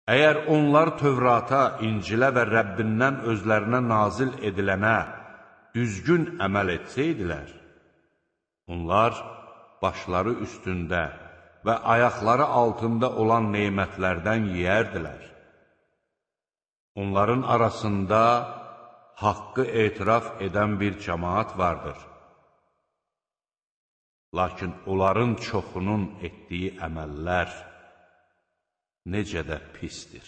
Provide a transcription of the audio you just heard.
Əgər onlar Tövrata, İncilə və Rəbbindən özlərinə nazil edilənə düzgün əməl etsəydilər, onlar başları üstündə və ayaqları altında olan neymətlərdən yeyərdilər. Onların arasında haqqı etiraf edən bir cəmaat vardır. Lakin onların çoxunun etdiyi əməllər necə də pisdir.